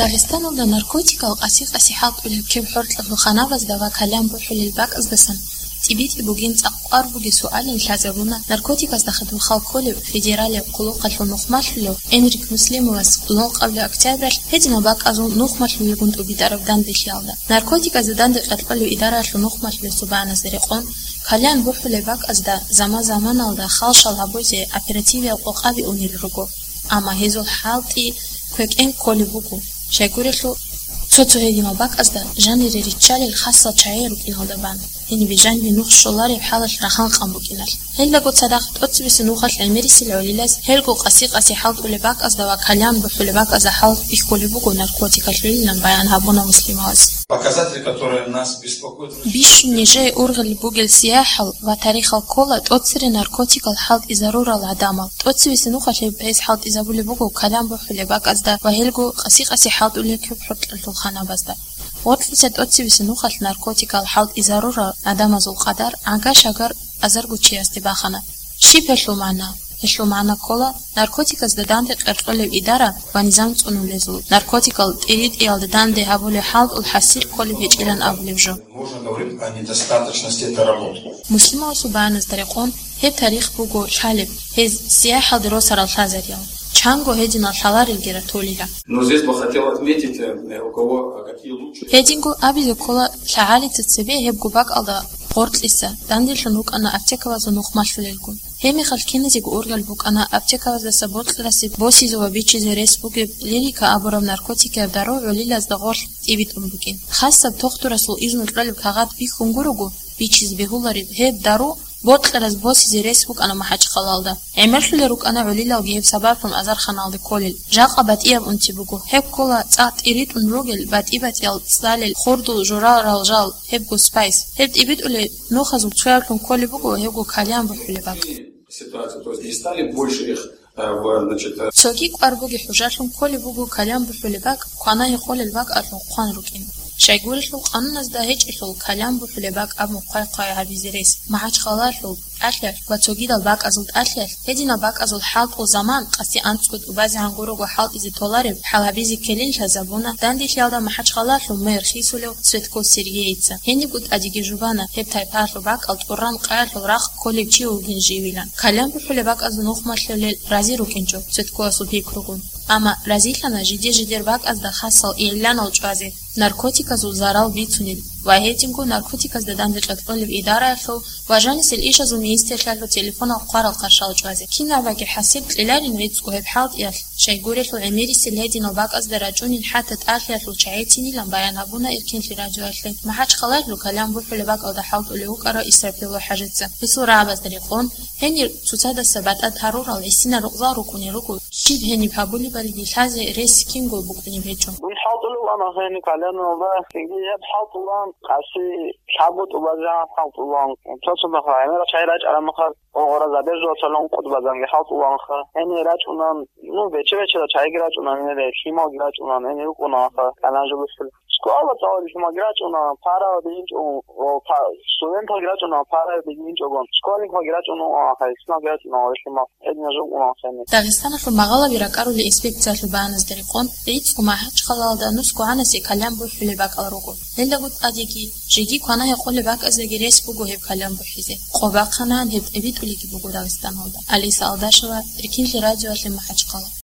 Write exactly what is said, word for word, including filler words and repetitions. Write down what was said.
Дагъистаналда наркотикал къаси-къаси хӀалтӀулеб кеб хӀоркьоб ханабазда ва калам бухӀулел бакӀаздасан тӀибитӀи бугин цӀакъ кӀвар бугеб суалин лъазабуна, наркотиказда хадуб хал кколев федералияб хъулухъалъул нухмалъулев Энрик Муслимовас лъугьа-, къабли октябралъ гьединал бакӀазул нухмалъулелгун тӀубитӀараб данделъиялда. Наркотиказда данде къеркьолев идараялъул нухмалъулел субаназда рекъон, калам бухӀулеб бакӀазда заман-заманалда халщал гьабузе оперативиял къокъаби унел руго. Амма гьезул хӀалтӀи квекӀен кколеб буго, щайгурелъул цо-цо гьединал бакӀазда жанире риччалел хасал чагӀи рукӀиналда бан, гьенибе жанибе нух щолареб хӀалалъ рахан къан букӀиналъ. Гьелдаго цадахъ тӀоцебесеб нухалъ гӀемерисел гӀолилаз гьелго къаси-къаси хӀалтӀулеб бакӀазда ва калам бухӀулеб бакӀазда хӀал бихьулеб буго наркотикалъулилан баян гьабуна Муслимовас. Показатели, которые нас беспокоят. Бищун нижее ургъел бугел сияхӀал ва тарихал ккола тӀоцере наркотикал хӀалтӀизарурал гӀадамал. ТӀоцевесеб нухалъ гьеб гьез хӀалтӀизабулеб буго калам бухӀулеб бакӀазда ва гьелго къаси-къаси хӀалтӀулел кеб хӀоркьолъул ханабазда. Гъоркьиса тӀоцевесеб нухалъ наркотикал хӀалтӀизарурал гӀадамазул къадар гӀага-шагар азарго чиясде бахана. Щиб гьелъул магӀна? Гьелъул магӀна ккола наркотиказда данде къеркьолеб идара ва низам цӀунулезул, наркотикал тӀиритӀиялда данде гьабулеб хӀалтӀул хӀасил кколеб гьечӀилан абулеб жо. Можно говорить о недостаточности этой работы. Муслимовасул баяназда рекъон, гьеб тарих буго лъалеб, гьез сияхӀалде росарал лъазариял, чанго гьединал лъаларелги ратулила. Но здесь бы хотел отметить, э, у кого, э, какие лучшие. Гьединго абизе ккола, лъагӀалица цебе гьебго бакӀалда гъоркьиса данделъун рукӀана аптекабазул нухмалъулелгун. Гьеб мехалъ киназего ургъел букӀана аптекабаздаса бокьарасеб босизе ва бичизе рес бугеб лирика абураб наркотикияб дару гӀолилазда гъорлъ тӀибитӀун букӀин. Хасаб тухтурасул изну кьолеб кагъат бихьун гурого, бичизе бегьулареб гьеб дару бокьарас босизе рес букӀана МахӀачхъалалда. ГӀемерлъулел рукӀана гӀолилалги гьеб сабаблъун азарханалде кколел. Жакъа батӀияб унти буго. Гьеб ккола цӀакъ тӀиритӀун ругел батӀи-батӀиял цӀалел хурдул журал-ралжал, гьебго спайс. Гьеб тӀибитӀулел нухазул цояблъун кколеб буго гьебго калам бухӀулеб бакӀ. Ситуацию, то есть не стали больше их, э, в, значит, э, Цоги кӀвар бугеб хӀужалъун кколеб буго калам бухӀулеб бакӀ квана-гьекъолел бакӀалъун хъван рукӀин. Щайгурелъул къануназда гьечӀелъул калам бухӀулеб бакӀ абун хъвай-хъвай гьабизе рес. МахӀачхъалалъул тӀалъиялъ ва цогидал бакӀазул тӀалъиялъ гьединал бакӀазул хӀалтӀул заман къаси анцӀго тӀубазегӀан гурого хӀалтӀизе толареб хӀал гьабизе ккелин лъазабуна данделъиялда МахӀачхъалалъул мэр хисулев Цветков Сергейица. Гьенибго тӀадеги жубана гьеб тайпаялъул бакӀал тӀуран къаялъул рахъ кколев чи вугин живилан. Калам бухӀулеб бакӀазда нухмалъулел рази рукӀинчӀо Цветковасул пикругун. Амма разилъана жиде-жидер бакӀазда хасал игӀланал чӀвазе, наркотиказул зарал бицунел ва гьединго наркотиказда данде къеркьолеб идараялъул ва жанисел ишазул министрлъиялъул телефонал хъварал къаршал чӀвазе. Кинабаги хӀасил кьеларин гӀицӀго гьеб хӀалтӀиялъ, щайгурелъул гӀемерисел гьединал бакӀазда рачӀунин хӀатта тӀалъиялъул чагӀицинилан баян гьабуна Эркинлъи радиоялъе МахӀачхъалалъул калам бухӀулеб бакӀалда хӀалтӀулев вукӀарав Исрапил ВахӀажица. Гьесул рагӀабазда рекъон, гьенир цоцадаса батӀа тарурал гӀисинал рукъзал рукӀунел руго, щиб гьениб гьабулебали лъазе рес кинго букӀунеб гьечӀо. Дун хӀалтӀулев вана гьениб каленалда, цинги гьеб хӀалтӀулан къаси лъабго тӀубазегӀан хӀалтӀулан. Цо-цо мехалъ гӀемерал чагӀи рачӀараб мехалъ, гъогъоразабе жо цалун къутӀбазанги хӀалтӀуланха. Гьенир рачӀунан, ну, бече-бечедал чагӀиги рачӀунан, гьенир лъималги рачӀунан, гьенир рукӀунаха, калам жо бухӀулел. Школа цӀалулел лъималги рачӀуна, параби инчӀо, о, па-, студенталги рачӀуна, параби инчӀогон. Школьникалги рачӀуна, о, хайсмалги рачӀуна, о, лъимал. Гьединал жо букӀунаха гьенир. Дагъистаналъул магъалаби ракӀарулел инспекциялъул баяназда рекъон, гӀицӀго МахӀачхъалалда нусго гӀанасе калам бухӀулеб бакӀал руго. Гьелдаго тӀадеги, жеги квана-гьекъолеб бакӀаздаги рес буго гьеб калам бухӀизе. Къо бахъанан гьеб тӀибитӀулебги буго Дагъистаналда. Алиса Алдашева, Эркинлъи радиоялъе МахӀачхъала.